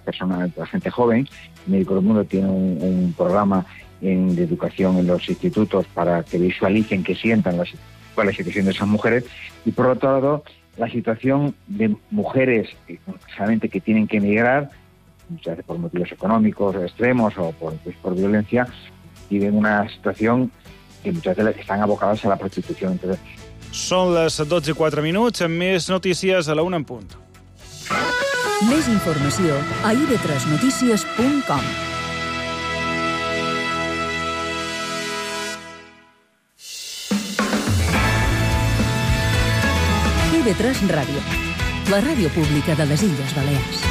personas, la gente joven. Médicos del Mundo tiene un programa de educación en los institutos para que visualicen, que sientan cuál es la situación de esas mujeres. Y por otro lado, la situación de mujeres solamente que tienen que emigrar, muchas veces por motivos económicos extremos o por violencia, viven una situación que muchas veces están abocadas a la prostitución. Entonces, són les 12:04, amb més notícies a la 1 en punt. Més informació a ib3notícies.com. IB3 Ràdio, la ràdio pública de les Illes Balears.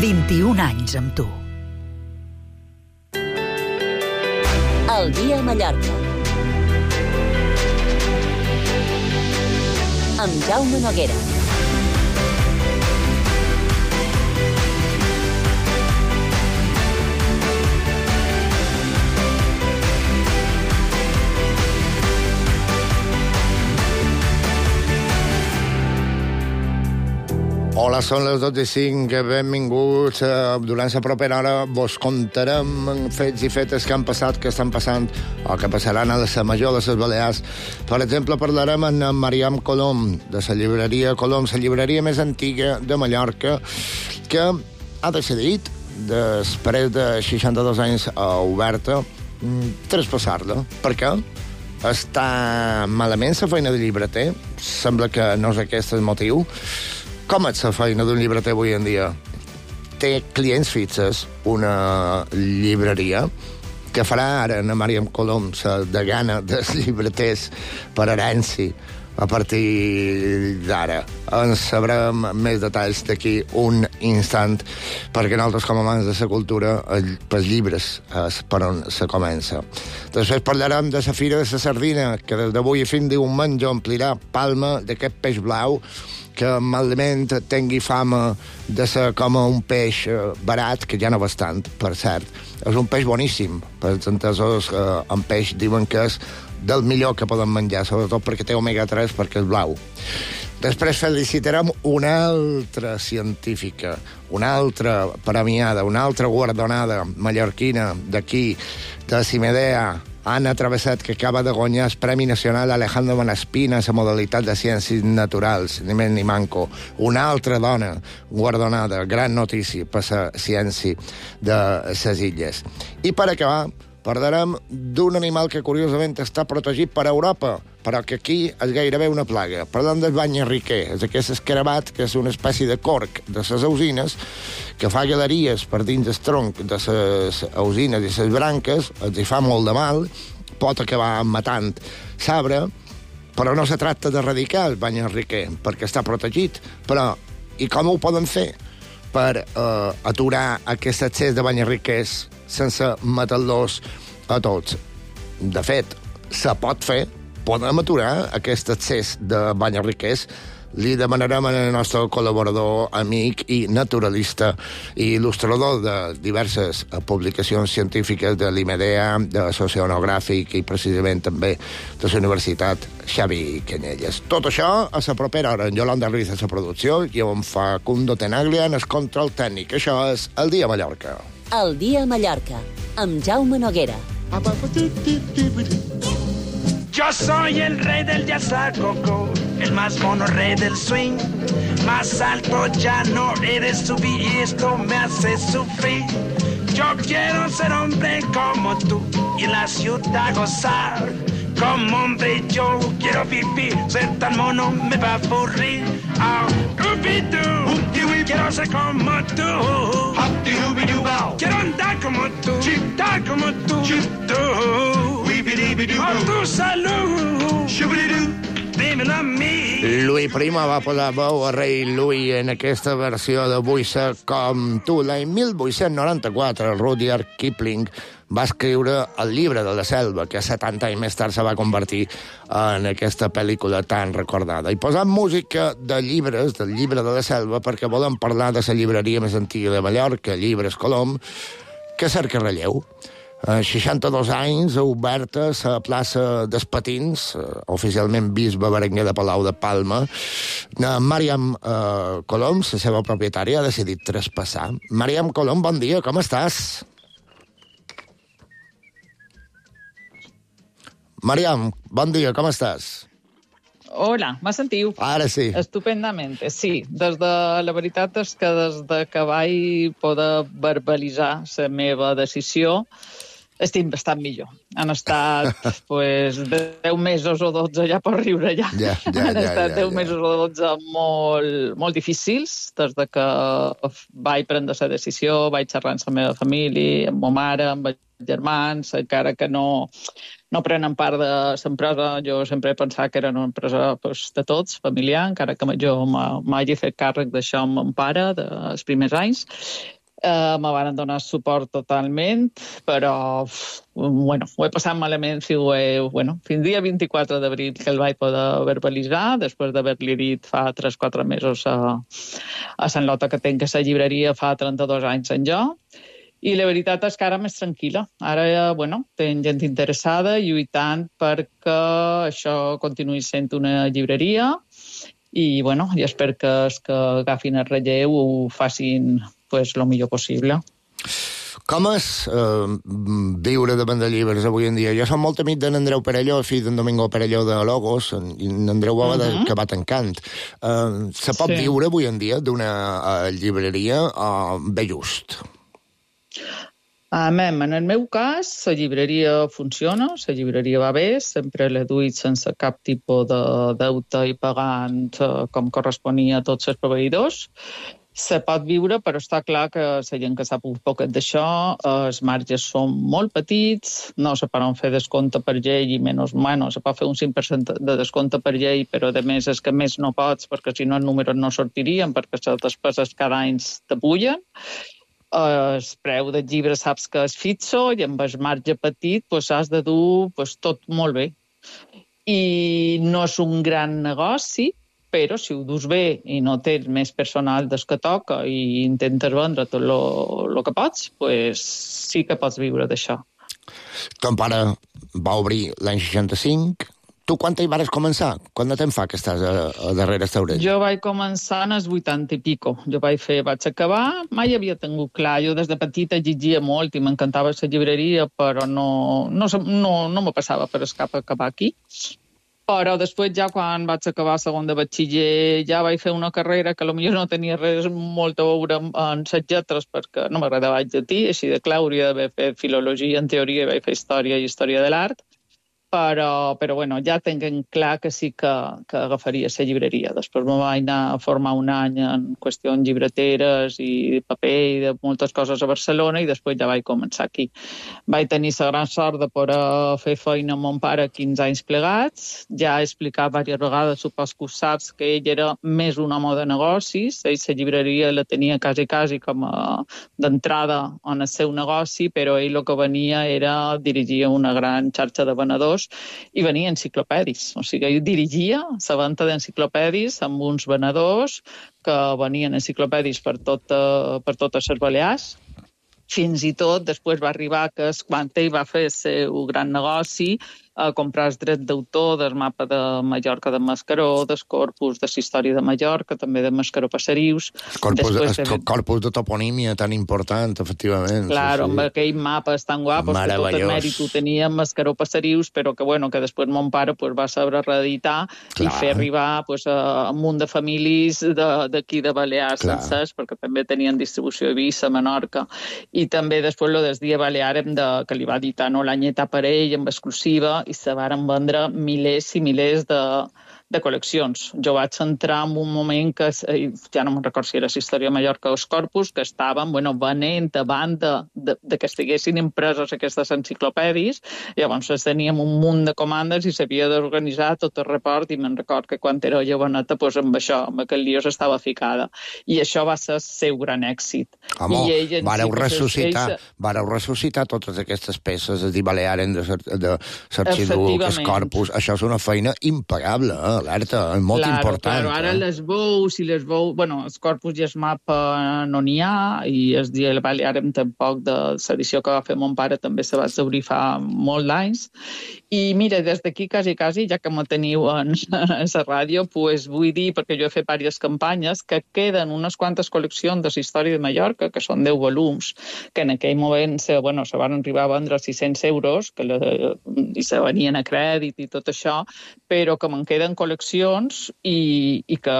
«21 anys amb tu». El dia a Mallorca. Amb Jaume Noguera. Hola, són les 12:05, benvinguts. Durant la propera hora vos contarem fets i fetes que han passat, que estan passant o que passaran a la major de les Balears. Per exemple, parlarem amb Mariam Colom, de la llibreria Colom, la llibreria més antiga de Mallorca, que ha decidit, després de 62 anys oberta, traspassar-la. Per què? Està malament la feina de llibreter? Sembla que no és aquest el motiu. Com és la feina d'un llibreter avui en dia? Té clients fixes, una llibreria, que farà ara a Mariam Colom, la degana dels llibreters per herència, a partir d'ara. En sabrem més detalls d'aquí un instant, perquè nosaltres, com a amants de la cultura, pels llibres és per on se comença. Després parlarem de la Fira de la Sardina, que des d'avui fins diumenge omplirà Palma d'aquest peix blau, que malament tingui fama de ser com un peix barat, que ja no bastant, per cert. És un peix boníssim. Els entesos en peix diuen que és del millor que poden menjar, sobretot perquè té omega-3, perquè és blau. Després felicitarem una altra científica, una altra premiada, una altra guardonada mallorquina d'aquí, de Cimedea, Anna Travesset, que acaba de guanyar el Premi Nacional Alejandro Manespina a la modalitat de Ciències Naturals, ni més ni manco. Una altra dona guardonada, gran notícia per la ciència de les illes. I per acabar, parlarem d'un animal que curiosament està protegit per Europa, però que aquí és gairebé una plaga. Parlem del banyarriquer, és aquest escarabat que és una espècie de corc de les ausines, que fa galeries per dins el tronc de les ausines i les branques, els hi fa molt de mal, pot acabar matant l'arbre, però no se tracta d'erradicar el banyarriquer, perquè està protegit. Però, i com ho poden fer per aturar aquest excés de banyarriquers sense matar-los a tots? De fet, se pot fer, podem aturar aquest excés de banyarriquers. Li demanarem al nostre col·laborador, amic i naturalista i il·lustrador de diverses publicacions científiques de l'IMEDEA, de l'Oceanogràfic i precisament també de la Universitat Xavi Canyelles. Tot això a la propera hora. En Yolanda Ruiz a la producció i en Facundo Tenaglia en el control tècnic. Això és El Dia a Mallorca. El Dia a Mallorca, amb Jaume Noguera. Yo soy el rey del yazacoco, el más mono rey del swing. Más alto ya no he de subir y esto me hace sufrir. Yo quiero ser hombre como tú y en la ciudad gozar. Como hombre yo quiero vivir, ser tan mono me va a aburrir. Oh, quiero ser como tú. Quiero andar como tú, estar como tú. Por tu salud, dímelo a mi. Louis Prima va posar veu a rei Louis en aquesta versió de Vull ser com tu. L'any 1894, Rudyard Kipling va escriure El llibre de la selva, que 70 anys més tard se va convertir en aquesta pel·lícula tan recordada. I posant música de llibres, del llibre de la selva, perquè volem parlar de la llibreria més antiga de Mallorca, Llibres Colom, que cerca relleu. 62 anys, oberta a la plaça dels Patins, oficialment bisbe Berenguer de Palau de Palma. Màriam Colom, la seva propietària, ha decidit traspassar. Màriam Colom, bon dia, com estàs? Màriam, bon dia, com estàs? Hola, me sentiu? Ara sí. Estupendament, sí. La veritat és que des que vaig poder verbalitzar la meva decisió, estic bastant millor. Han estat 10 mesos o 12 ja per riure ja. Han estat 10 mesos o 12 molt difícils, des que vaig prendre la decisió, vaig xerrar amb la meva família, amb ma mare, amb els germans, encara que no prenen part de l'empresa. Jo sempre he pensat que era una empresa de tots, familiar, encara que jo m'hagi fet càrrec d'això amb mon pare dels primers anys. Me van donar suport totalment, però ho he passat malament fins dia 24 d'abril que el vaig poder verbalitzar, després d'haver-li dit fa 3-4 mesos a Sant Lota que tenc la llibreria fa 32 anys en jo. I la veritat és que ara més tranquil·la. Ara, tenc gent interessada lluitant perquè això continuï sent una llibreria i, i espero que els que agafin el relleu ho facin el millor possible. Com és viure davant de llibres avui en dia? Jo som molt amic d'en Andreu Perelló, fill d'en Domingo Perelló de Logos, i en Andreu Boada que va tancant. Se pot viure avui en dia d'una llibreria bé just? En el meu cas, la llibreria funciona, la llibreria va bé, sempre l'he duit sense cap tipus de deute i pagant com corresponia a tots els proveïdors. Se pot viure, però està clar que la gent que sap un poquet d'això, els marges són molt petits, no se poden fer descompte per llei i se pot fer un 5% de descompte per llei, però a més és que més no pots, perquè si no els números no sortirien, perquè les despeses cada any t'apullen. El preu del llibre saps que és fixo i amb el marge petit has de dur tot molt bé. I no és un gran negoci, però si ho dus bé i no tens més personal des que toca i intentes vendre tot el que pots, sí que pots viure d'això. Ton pare va obrir l'any 65. Tu quan hi vas començar? Quant de temps fa que estàs a darrere estaurell? Jo vaig començar en els 80 i pico. Vaig acabar, mai havia tingut clar. Jo des de petita llegia molt i m'encantava la llibreria, però no me passava per el cap acabar aquí. Però després, ja quan vaig acabar segon de batxiller, ja vaig fer una carrera que potser no tenia res molt a veure amb les lletres, perquè no m'agradava el llatí, així de clar, hauria d'haver fet filologia en teoria i vaig fer història i història de l'art. Però ja tinc clar que sí que agafaria la llibreria. Després me vaig anar a formar un any en qüestions llibreteres i paper i de moltes coses a Barcelona i després ja vaig començar aquí. Vaig tenir la gran sort de poder fer feina amb mon pare 15 anys plegats. Ja he explicat diverses vegades, supos que ho saps, que ell era més un home de negocis. Ell la llibreria la tenia quasi com d'entrada en el seu negoci, però ell el que venia era dirigir una gran xarxa de venedors i venia enciclopèdis. O sigui, ell dirigia la venda d'enciclopèdis amb uns venedors que venien enciclopèdis per totes les Balears. Fins i tot després va arribar que quan ell va fer el seu gran negoci a comprar els drets d'autor del mapa de Mallorca de Mascaró, del corpus de la història de Mallorca, també de Mascaró Passerius. El corpus de toponímia tan important, efectivament. Claro, amb aquell mapes tan guapos que tot el mèrit ho tenia Mascaró Passerius, però que després mon pare va saber reeditar i fer arribar a un munt de famílies d'aquí de Balears sencers, perquè també tenien distribució a Eivissa, a Menorca, i també després el Dia Balear que li va editar l'anyeta per ell, amb exclusiva, i se varen vendre milers i milers de col·leccions. Jo vaig entrar en un moment que, ja no me'n recordo si era la història de Mallorca o els corpus, que estaven venent davant de que estiguessin impreses aquestes enciclopèdies. Llavors teníem un munt de comandes i s'havia d'organitzar tot el report, i me'n recordo que quan era joveneta amb això, amb aquell lío s'estava ficada. I això va ser el seu gran èxit. Home, vareu ressuscitar totes aquestes peces, és dir, Balearen de Sarxidú, els corpus, això és una feina impagable, alerta, és molt important. Claro, ara les veus i les veus... Bueno, els Corpus i el mapa no n'hi ha, i el dia del Baleàrem tampoc, de l'edició que va fer mon pare també se va obrir fa molt d'anys. I mira, des d'aquí quasi, ja que me teniu en la ràdio, pues vull dir, perquè jo he fet diverses campanyes, que queden unes quantes col·leccions de la història de Mallorca, que són 10 volums, que en aquell moment se van arribar a vendre a 600 euros, i se venien a crèdit i tot això, però que me'n queden col·leccions i que,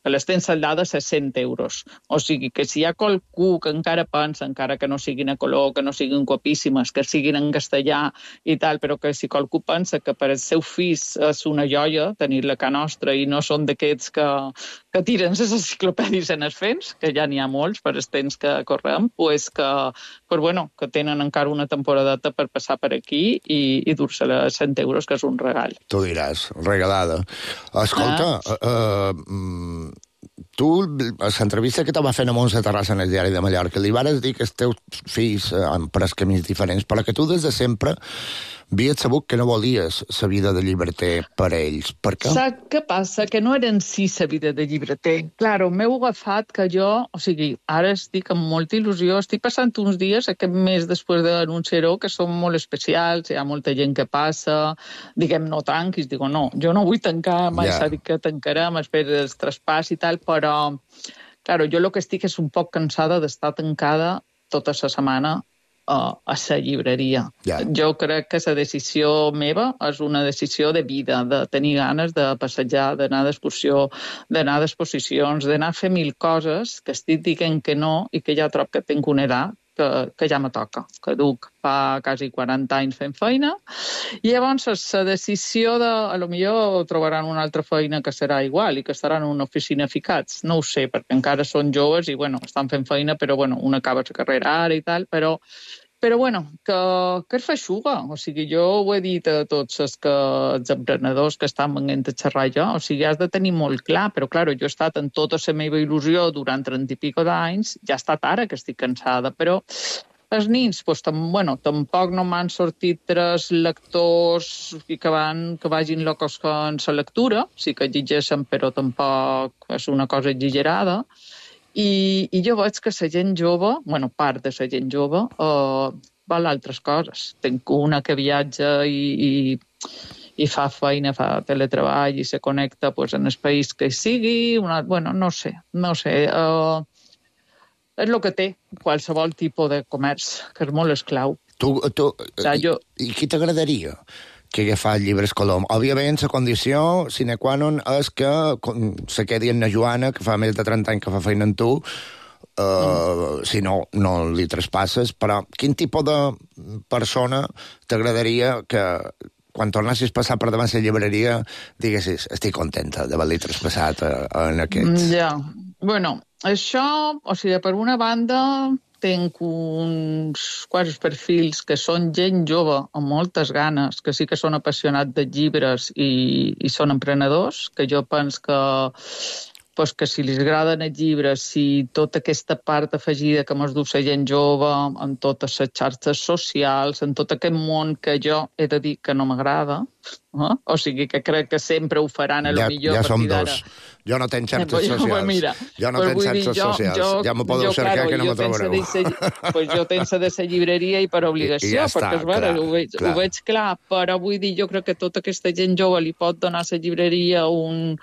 que les tens saldades a 100 euros. O sigui, que si hi ha qualcú que encara pensa, encara que no siguin a color, que no siguin guapíssimes, que siguin en castellà i tal, però que si qualcú pensa que per als seus fills és una joia tenir-la a casa nostra i no són d'aquests que tiren les enciclopèdies en els fents, que ja n'hi ha molts per els temps que correm, que tenen encara una temporadeta per passar per aquí i dur-se-la a 100 euros, que és un regal. Tu diràs, regalada. Escolta, tu, a l'entrevista que te va fer a Montse Terrassa en el Diari de Mallorca, li vares dir que els teus fills han pres camins diferents, però que tu des de sempre havies sabut que no volies la vida de llibreter per a ells. Per què? Saps què passa? Que no era en si la vida de llibreter. Claro, m'heu agafat que jo, o sigui, ara estic amb molta il·lusió, estic passant uns dies, aquest mes després de l'anunciar-ho, que són molt especials, hi ha molta gent que passa, diguem, no tanquis, digo, no, jo no vull tancar, mai s'ha dit que tancarem, espera el traspàs i tal, però, claro, jo el que estic és un poc cansada d'estar tancada tota la setmana a la llibreria. Jo crec que la decisió meva és una decisió de vida, de tenir ganes de passejar, d'anar d'excursió, d'anar d'exposicions, d'anar a fer 1000 coses que estic dient que no i que ja trobo que tinc una edat que ja me toca, que duc fa quasi 40 anys fent feina, i llavors la decisió de, a lo millor trobaran una altra feina que serà igual i que estaran en una oficina ficats, no ho sé, perquè encara són joves i, estan fent feina, però, una acaba la carrera ara i tal, però que es feixuga. O sigui, jo ho he dit a tots els emprenedors que estan venint a xerrar jo, o sigui, has de tenir molt clar, però, clar, jo he estat en tota la meva il·lusió durant 30 i pico d'anys, ja ha estat ara que estic cansada, però els nins, tampoc no m'han sortit 3 lectors que vagin locos en la lectura, sí que llegeixen, però tampoc és una cosa exagerada. I jo veig que la gent jove, part de la gent jove, val altres coses. Tinc una que viatja i fa feina, fa teletreball i se connecta en el país que sigui. No sé. És el que té qualsevol tipus de comerç, que és molt esclau. I qui t'agradaria que agafar llibres Colom? Òbviament, la condició sine qua non és que se quedi en la Joana, que fa més de 30 anys que fa feina amb tu, si no, no li traspasses, però quin tipus de persona t'agradaria que quan tornessis a passar per davant la llibreria diguessis, estic contenta d'haver-li traspassat en aquests... Això, o sigui, per una banda... Tinc uns quants perfils que són gent jove amb moltes ganes, que sí que són apassionats de llibres i són emprenedors, que jo penso que si li agraden els llibres, si tota aquesta part afegida que mos du la gent jove, en totes les xarxes socials, en tot aquest món que jo he de dir que no m'agrada, o sigui que crec que sempre ho faran a lo millor ja a partir d'ara. Jo no tenc xarxes socials. Jo no tenc xarxes socials. Ja m'ho podeu cercar que no m'ho trobareu. Jo tenc de la llibreria i per obligació, perquè ho veig clar, però vull dir, jo crec que tota aquesta gent jove li pot donar a la llibreria un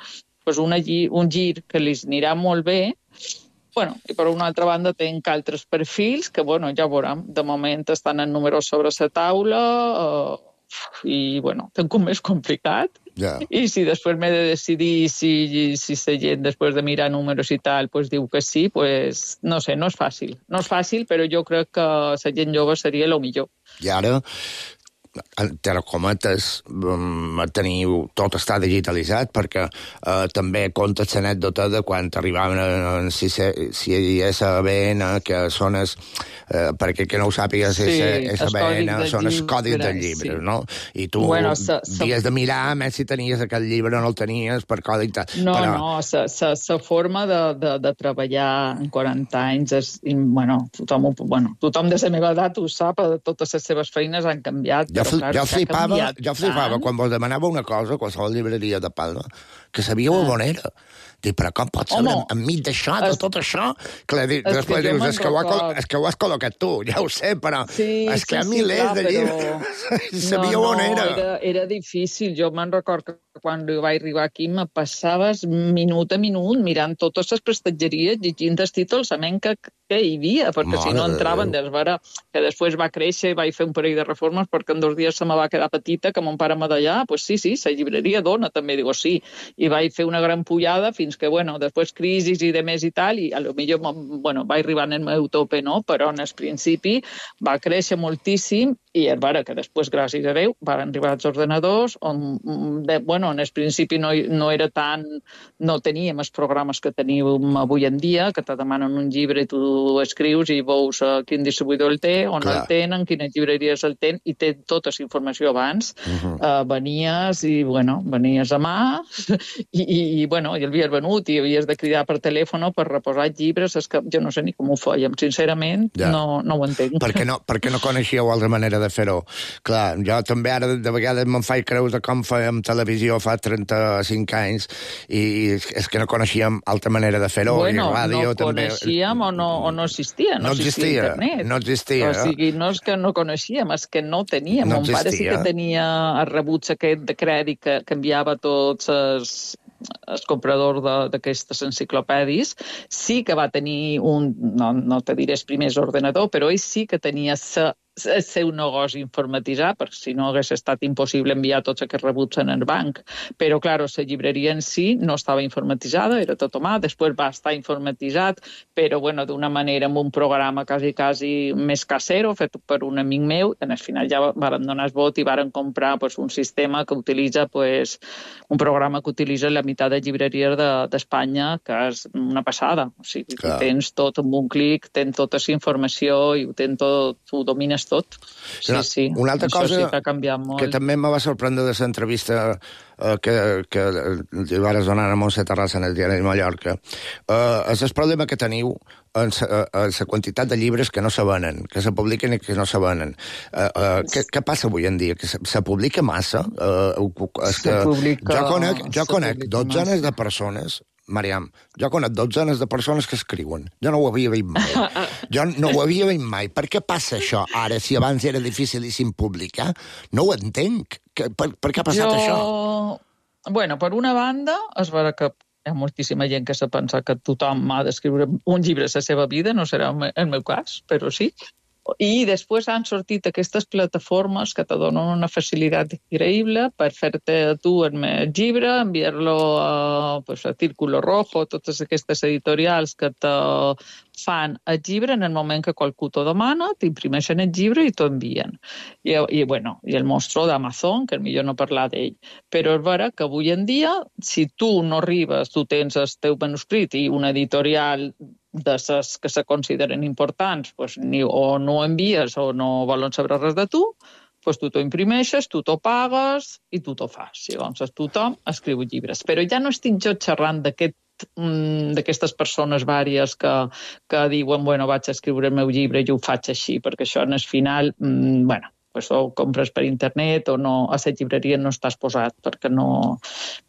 gir que li anirà molt bé. I per una altra banda tinc altres perfils que, ja veurem, de moment estan en números sobre la taula i, tinc un més complicat. I si després m'he de decidir si la gent, després de mirar números i tal, diu que sí, no sé, no és fàcil. No és fàcil, però jo crec que la gent jove seria el millor. I ara... entre cometes, teniu tot està digitalitzat, perquè també comptes l'anècdota de quan arribaven si hi és ABN, que són perquè que no ho sàpigues, és ABN, són els codis del llibre, no? I tu havies de mirar, més si tenies aquest llibre o no el tenies per codi i tal. No, la forma de treballar en 40 anys és, tothom de la meva edat ho sap, totes les seves feines han canviat. Jo flipava quan vos demanava una cosa a qualsevol llibreria de Palma, que sabíeu on era. Dic, però com pot saber enmig d'això, de tot això? Clar, després dius, és que ho has col·locat tu, ja ho sé, però és que hi ha milers de llibres. Sabíeu on era. Era difícil. Jo me'n record que quan vaig arribar aquí me passaves minut a minut mirant totes les prestatgeries, llegint els títols que hi havia, perquè si no entraven, veure que després va créixer i vaig fer un parell de reformes perquè en 2 dies se me va quedar petita, que mon pare me deia, pues sí, la llibreria dona, també digo sí. I vaig fer una gran pujada fins que, després crisis i de més i tal, i a lo millor, vaig arribar en el meu tope, no? Però en el principi va créixer moltíssim i és vera que després, gràcies a Déu, van arribar els ordenadors on, en el principi no era tan... no teníem els programes que tenim avui en dia, que te demanen un llibre i tu escrius i veus quin distribuïdor el té, on el tenen, quines llibreries el tenen, i té tota la informació abans. Venies a mà i havies venut i havies de cridar per telèfon per reposar llibres. És que jo no sé ni com ho fèiem, sincerament, no ho entenc. Perquè no coneixíeu altra manera de fer-ho. Clar, jo també ara de vegades me'n faig creus de com fèiem televisió fa 35 anys i és que no coneixíem altra manera de fer-ho. No coneixíem o no existia. No existia internet. No existia. O sigui, no és que no coneixíem, és que no teníem. Mon pare sí que tenia el rebuig aquest de crèdit que enviava tots els compradors d'aquestes enciclopèdies. Sí que va tenir no te diré el primer ordenador, però ell sí que tenia el seu negoci informatitzat, perquè si no hagués estat impossible enviar tots aquests rebuts en el banc. Però, clar, la llibreria en si no estava informatitzada, era tot a mà, després va estar informatitzat, però, d'una manera amb un programa quasi més casero, fet per un amic meu, en el final ja varen donar el vot i varen comprar un sistema que utilitza, un programa que utilitza la meitat de llibreries d'Espanya, que és una passada. O sigui, tens tot amb un clic, tens tota la informació i ho tens tot, ho domines tot. Sí. Una altra cosa que també me va sorprendre de l'entrevista que li vas donar a Montse Terrassa en el diari de Mallorca és el problema que teniu en la quantitat de llibres que no se venen, que se publiquen i que no se venen. Què passa avui en dia? Que se publica massa? Jo conec dotzenes de persones, Mariam, jo conec dotzenes de persones que escriuen. Jo no ho havia vist mai. Per què passa això ara, si abans era dificilíssim publicar? No ho entenc. Per què ha passat això? Per una banda, és vera que hi ha moltíssima gent que se pensa que tothom ha d'escriure un llibre a la seva vida, no serà el meu cas, però sí. I després han sortit aquestes plataformes que te donen una facilitat increïble per fer-te tu el llibre, enviar-lo a Círculo Rojo, totes aquestes editorials que te fan el llibre en el moment que qualcú t'ho demana, t'imprimeixen el llibre i t'ho envien. I el monstro d'Amazon, que millor no parlar d'ell. Però és vera que avui en dia, si tu no arribes, tu tens el teu manuscrit i una editorial de les que se consideren importants, o no envies o no volen saber res de tu, tu t'ho imprimeixes, tu t'ho pagues i tu t'ho fas. Llavors tothom escriu llibres. Però ja no estic jo xerrant d'aquestes persones vàries que diuen, vaig escriure el meu llibre i ho faig així, perquè això en el final, o compres per internet o no, a la llibreria no estàs posat perquè no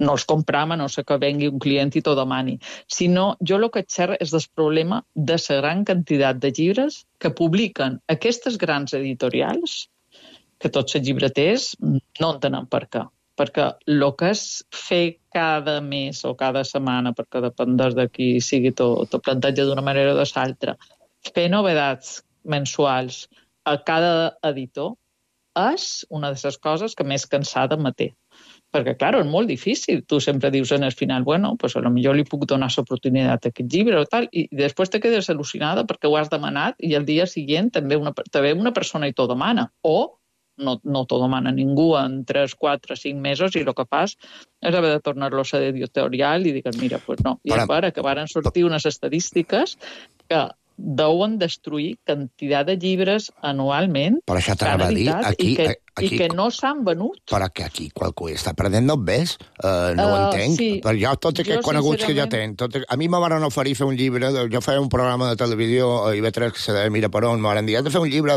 els compram, a no ser que vengui un client i t'ho demani. Sinó, jo el que xerro és del problema de la gran quantitat de llibres que publiquen aquestes grans editorials, que tots els llibreters no entenen per què. Perquè el que és fer cada mes o cada setmana, perquè depèn de qui sigui tot planteja d'una manera o de l'altra, fer novetats mensuals a cada editor, és una de les coses que més cansada me té. Perquè, clar, és molt difícil. Tu sempre dius en el final, a lo millor li puc donar l'oportunitat a aquest llibre o tal, i després te quedes al·lucinada perquè ho has demanat i el dia següent també una persona i t'ho demana. O no t'ho demana ningú en 3, 4, 5 mesos i el que fas és haver de tornar-lo a l'editorial i digues, mira, no. I és vera que varen sortir unes estadístiques que deuen destruir quantitat de llibres anualment. Per això t'anava a dir, I que no s'han venut. Però que aquí qualcú està perdent els bes, no ho entenc. Sí. Però jo, tots aquests coneguts que jo tenc, a mi me van oferir fer un llibre, jo feia un programa de televisió a IB3 que se deia Mira per on, me van dir, has de fer un llibre,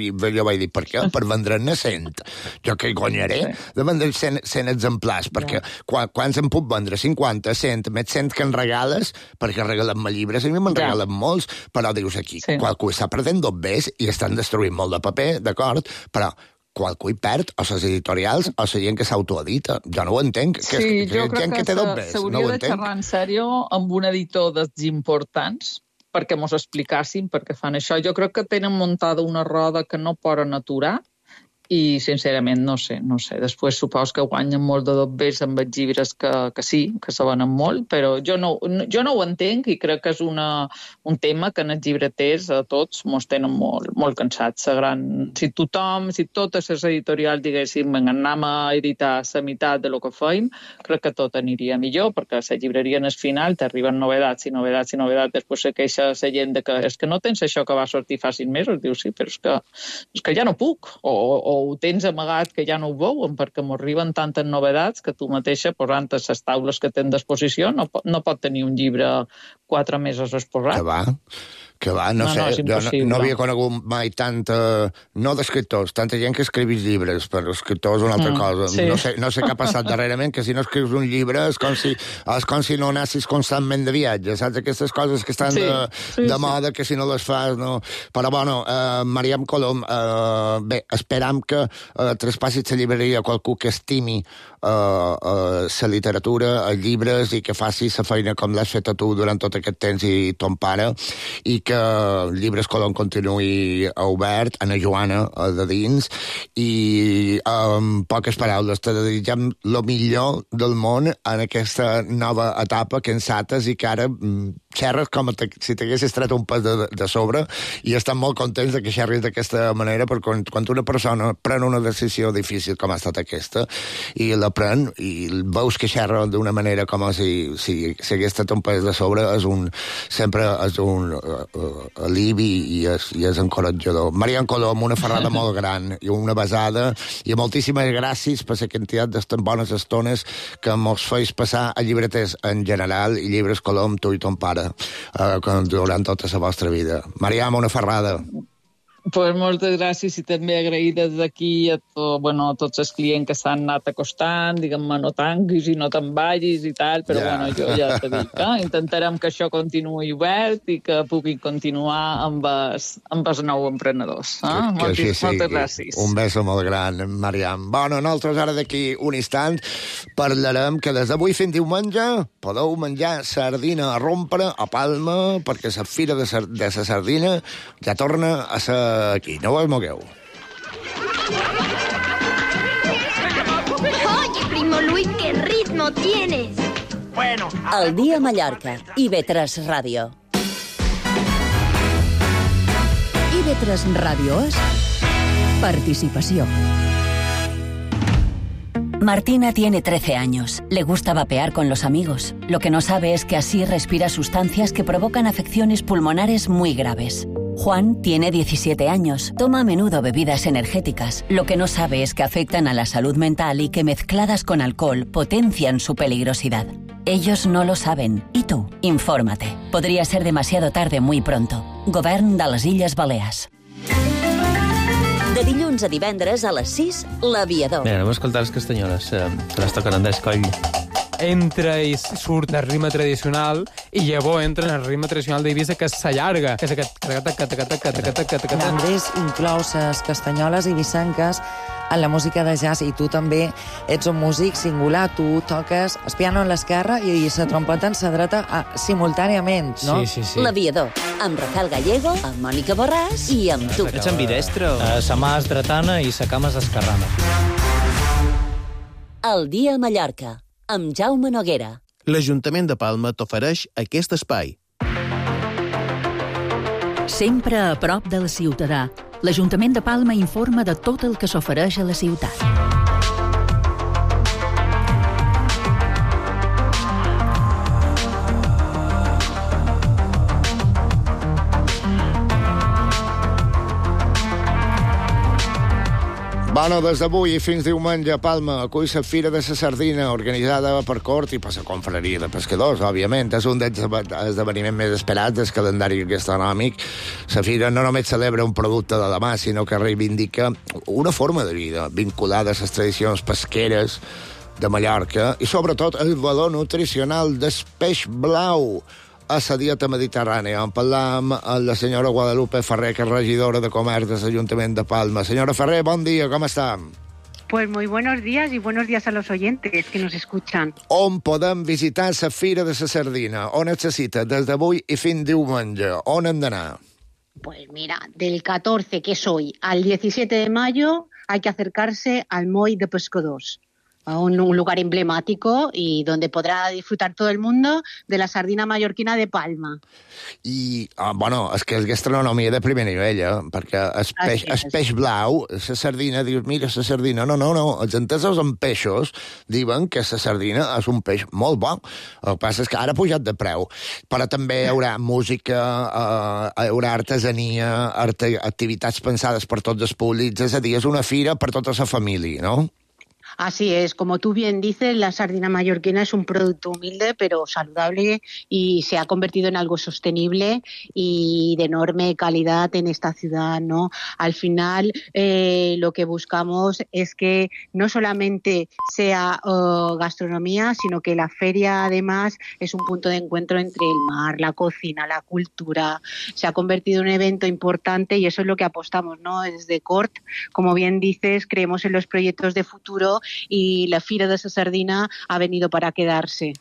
i jo vaig dir, per què? Per vendre'n 100. Jo què guanyaré de vendre 100 exemplars, perquè quants en puc vendre? 50, 100, més 100 que en regales, perquè regalen-me llibres, a mi me'n regalen molts, però dius aquí, qualcú està perdent dos bes i estan destruint molt de paper, d'acord, però qualcú hi perd, o les editorials, o la gent que s'autoedita. Jo no ho entenc. Sí, jo crec que s'hauria de xerrar en sèrio amb un editor dels importants perquè mos explicassin per què fan això. Jo crec que tenen muntada una roda que no poden aturar i, sincerament, no sé. Després supos que guanyen molt de dobbers amb els llibres que sí, que se venen molt, però jo no ho entenc i crec que és un tema que en els llibreters a tots mos tenen molt cansats. Si totes les editorials diguéssim anem a editar la meitat de lo que feim, crec que tot aniria millor, perquè a la llibreria en el final t'arriben novedats i novedats i novedats, després se queixa la gent que és que no tens això que va sortir fa 6 mesos, dius sí, però és que ja no puc, o ho tens amagat que ja no ho veuen perquè m'arriben tantes novedats que tu mateixa, posant a les taules que tens d'exposició, no pot tenir un llibre 4 mesos exposat. Que va, no sé, no havia conegut mai no d'escriptors, tanta gent que escrivís llibres, però escriptors és una altra cosa. Sí. No sé què ha passat darrerament, que si no escrius un llibre és com si no anessis constantment de viatge, saps? Aquestes coses que estan de moda, que si no les fas, no... Però, bueno, Mariam Colom, bé, esperam que traspassis la llibreria a qualcú que estimi la literatura, els llibres, i que facis la feina com l'has fet a tu durant tot aquest temps i ton pare, i que Llibres Colom continuï obert, Ana Joana de dins, i amb poques paraules te desitgem el millor del món en aquesta nova etapa que encetes i que ara xerres com si t'haguessis tret un pes de sobre, i estan molt contents de que xerris d'aquesta manera, perquè quan una persona pren una decisió difícil com ha estat aquesta, i la pren, i veus que xerra d'una manera com si hagués estat un pes de sobre, sempre és un alivi i és encoratjador. Mariam Colom, una ferrada molt gran i una besada, i moltíssimes gràcies per la quantitat d'estes bones estones que mos feis passar a llibreters en general i Llibres Colom, tu i ton pare, durant tota la vostra vida. Mariam, una ferrada. Pues moltes gràcies i també agrair des d'aquí a tots els clients que s'han anat acostant, diguem-me, no tanquis i no te'n vagis i tal, però jo ja t'he dit, intentarem que això continuï obert i que puguin continuar amb els nous emprenedors. Moltes gràcies. Un beso molt gran, Mariam. Bueno, nosaltres ara d'aquí un instant parlarem que des d'avui fins diumenge podeu menjar sardina a rompre a Palma, perquè la fira de la sardina ja torna a ser aquí, no us mogueu. Oye, primo Luis, qué ritmo tienes. Bueno, El dia a Mallorca, IB3 Ràdio. IB3 Ràdio és participació. Martina tiene 13 años. Le gusta vapear con los amigos. Lo que no sabe es que así respira sustancias que provocan afecciones pulmonares muy graves. Juan tiene 17 años. Toma a menudo bebidas energéticas. Lo que no sabe es que afectan a la salud mental y que mezcladas con alcohol potencian su peligrosidad. Ellos no lo saben. ¿Y tú? Infórmate. Podría ser demasiado tarde muy pronto. Govern de les Illes Balears. De dilluns a divendres a les 6, L'Aviador. Bé, anem a escoltar les castanyoles, que les toquen Andrés Coll. Entra i surt el ritme tradicional i llavors entra en el ritme tradicional d'Eivissa, que s'allarga, que és aquest... Andrés inclou les castanyoles eivissenques en la música de jazz, i tu també ets un músic singular, tu toques el piano en l'esquerra i la trompeta en la dreta simultàniament, no? Sí. L'Aviador, amb Rafael Gallego, amb Mònica Borràs i amb tu. Ets ambidestre? Sa mà és dretana i sa cama és esquerrana. El dia a Mallorca, amb Jaume Noguera. L'Ajuntament de Palma t'ofereix aquest espai. Sempre a prop del ciutadà, l'Ajuntament de Palma informa de tot el que s'ofereix a la ciutat. Bueno, des d'avui i fins diumenge a Palma acull la Fira de la Sardina, organitzada per Cort i per la Confraria de Pescadors, òbviament. És un dels esdeveniments més esperats del calendari gastronòmic. La Fira no només celebra un producte de la mà, sinó que reivindica una forma de vida vinculada a les tradicions pesqueres de Mallorca i, sobretot, el valor nutricional del peix blau a la dieta mediterrània. En parlam amb la senyora Guadalupe Ferrer, que és regidora de Comerç de l'Ajuntament de Palma. Senyora Ferrer, bon dia, com està? Pues muy buenos días y buenos días a los oyentes que nos escuchan. On podem visitar la Fira de la Sardina? On es cita des d'avui i fins diumenge? On hem d'anar? Pues mira, del 14, que es hoy, al 17 de mayo hay que acercarse al Moll de Pescadors, a un lugar emblemático y donde podrá disfrutar todo el mundo de la sardina mallorquina de Palma. I, bueno, és que és gastronomia de primer nivell, perquè el peix blau, la sardina, dius, mira, la sardina, no, els entesos en peixos diuen que la sardina és un peix molt bo. El que passa és que ara ha pujat de preu, però també hi haurà música, hi haurà artesania, activitats pensades per tots els públics, és a dir, és una fira per tota la família, no? Así es, como tú bien dices, la sardina mallorquina es un producto humilde pero saludable y se ha convertido en algo sostenible y de enorme calidad en esta ciudad, ¿no? Al final lo que buscamos es que no solamente sea gastronomía, sino que la feria además es un punto de encuentro entre el mar, la cocina, la cultura. Se ha convertido en un evento importante y eso es lo que apostamos, ¿no? Desde Cort, como bien dices, creemos en los proyectos de futuro y la Fira de la Sardina ha venido para quedarse.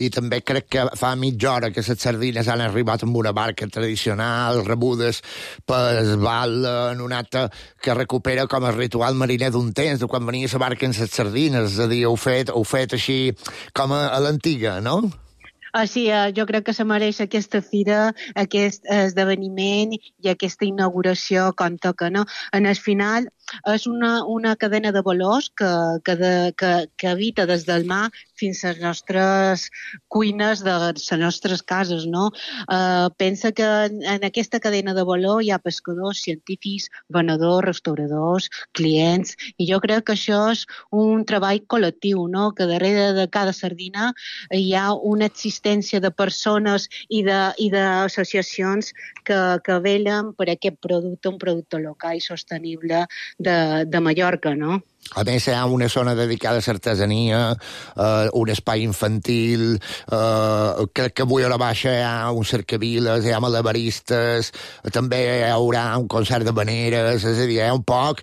I també crec que fa mitja hora que les sardines han arribat amb una barca tradicional, rebudes pel bal en un acte que recupera com el ritual mariner d'un temps, de quan venia la barca amb les sardines, és a dir, heu fet així com a l'antiga, no? Sí, jo crec que se mereix aquesta fira, aquest esdeveniment i aquesta inauguració com toca, no? En el final és una cadena de valors que habita des del mar fins a les nostres cuines de les nostres cases, no? Pensa que en aquesta cadena de valor hi ha pescadors, científics, venedors, restauradors, clients, i jo crec que això és un treball col·lectiu, no? Que darrere de cada sardina hi ha una existència de persones i d'associacions que velen per aquest producte, un producte local i sostenible de Mallorca, no? A més, hi ha una zona dedicada a l'artesania, un espai infantil, crec que avui a la baixa hi ha un cercaviles, hi ha malabaristes, també hi haurà un concert de veneres, és a dir, hi ha un poc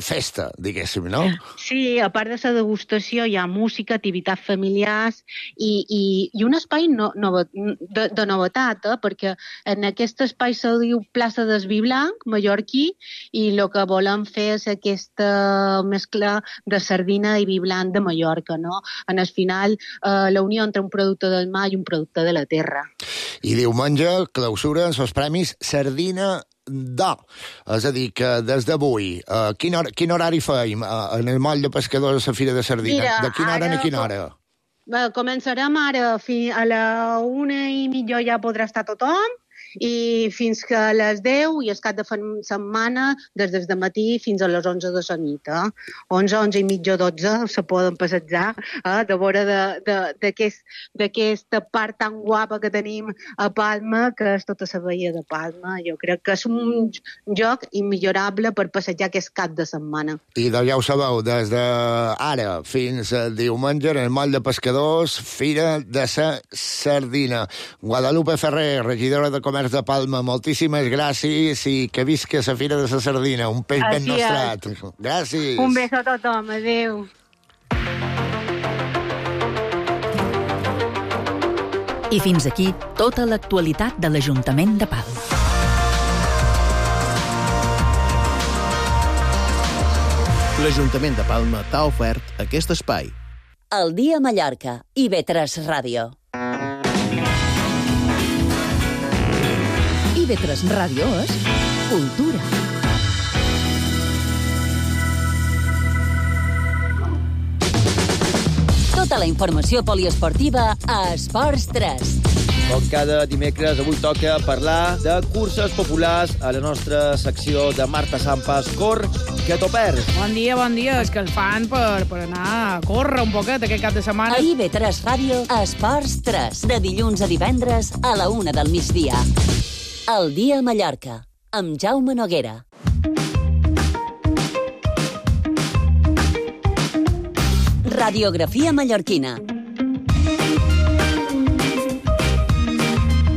festa, diguéssim, no? Sí, a part de la degustació hi ha música, activitats familiars i un espai de novetat, perquè en aquest espai se diu plaça del Vi Blanc, mallorquí, i el que volem fer és aquesta mescla de sardina i vi blanc de Mallorca, no? En el final, la unió entre un producte del mar i un producte de la terra. I diumenge clausura els premis Sardina d'Or. És a dir, que des d'avui, quin horari feim en el moll de pescadors a la Fira de Sardina? Mira, de quina hora a quina hora? Començarem ara, a la 1:30 ja podrà estar tothom, i fins que a les 10 i el cap de setmana des del matí fins a les 11 de la nit. 11 i mitja, 12 se poden passejar de vora d'aquesta part tan guapa que tenim a Palma, que és tota la bahia de Palma. Jo crec que és un lloc immillorable per passejar aquest cap de setmana. I ja ho sabeu, des d'ara fins diumenge en el moll de pescadors, Fira de la Sardina. Guadalupe Ferrer, regidora de Comerç de Palma, moltíssimes gràcies i que visca la Fira de la Sardina, un peix ben nostrat. Gràcies. Un beso a tothom, adéu. I fins aquí tota l'actualitat de l'Ajuntament de Palma. L'Ajuntament de Palma t'ha ofert aquest espai. El dia a Mallorca, IB3 Ràdio. IB3 Ràdio és cultura. Tota la informació poliesportiva a Esports 3. Com cada dimecres, avui toca parlar de curses populars a la nostra secció de Marta Sampas Cor que t'ho perds. Bon dia. És que el fan per anar a córrer un poquet aquest cap de setmana. A IB3 Ràdio, Esports 3, de dilluns a divendres a la 1 del migdia. El dia a Mallorca, amb Jaume Noguera. Radiografia mallorquina.